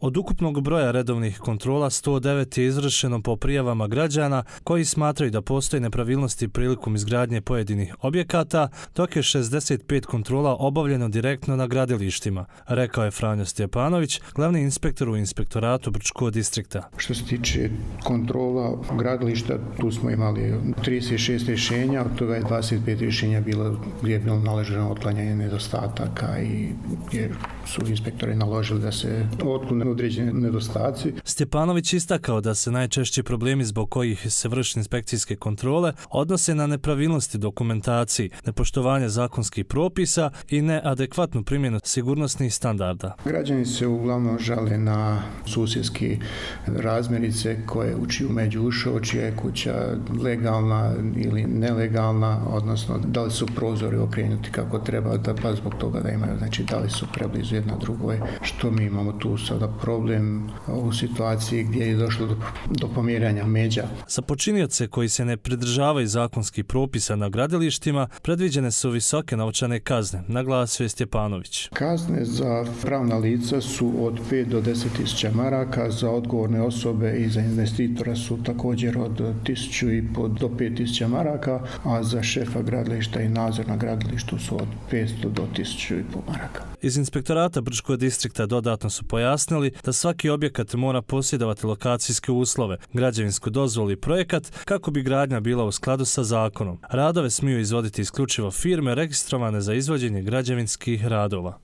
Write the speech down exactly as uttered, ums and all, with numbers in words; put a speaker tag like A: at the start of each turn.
A: Od ukupnog broja redovnih kontrola sto devet je izvršeno po prijavama građana koji smatraju da postoje nepravilnosti prilikom izgradnje pojedinih objekata, dok je šezdeset pet kontrola obavljeno direktno na gradilištima, rekao je Franjo Stjepanović, glavni inspektor u inspektoratu Brčkog distrikta.
B: Što se tiče kontrola gradilišta, tu smo imali trideset šest rješenja, od toga je dvadeset pet rješenja bilo gdje je bilo naloženo otklanjanje nedostataka i gdje su inspektori naložili da se otklone određeni nedostaci.
A: Stjepanović istakao da se najčešći problemi zbog kojih se vrši inspekcijske kontrole odnose na nepravilnosti dokumentaciji, nepoštovanje zakonskih propisa i neadekvatnu primjenu sigurnosnih standarda.
B: Građani se uglavnom žale na susjedski razmjerice koje učiju među ušao, čija je kuća legalna ili nelegalna, odnosno da li su prozori okrenuti kako treba, da pa zbog toga da imaju, znači da li su preblizu jedna drugoj, što mi imamo tu sada problem u situaciji gdje je došlo do, do pomjeranja međa.
A: Za počinioce koji se ne pridržavaju zakonskih propisa na gradilištima predviđene su visoke novčane kazne, naglasio je Stjepanović.
B: Kazne za pravna lica su od pet do deset tisuća maraka, za odgovorne osobe i za investitora su također od tisuću i po do pet tisuća maraka, a za šefa gradilišta i nadzor na gradilištu su od petsto do tisuću i po maraka.
A: Iz inspektorata Brčkog distrikta dodatno su pojasnili da svaki objekat mora posjedovati lokacijske uslove, građevinsku dozvolu i projekat kako bi gradnja bila u skladu sa zakonom. Radove smiju izvoditi isključivo firme registrovane za izvođenje građevinskih radova.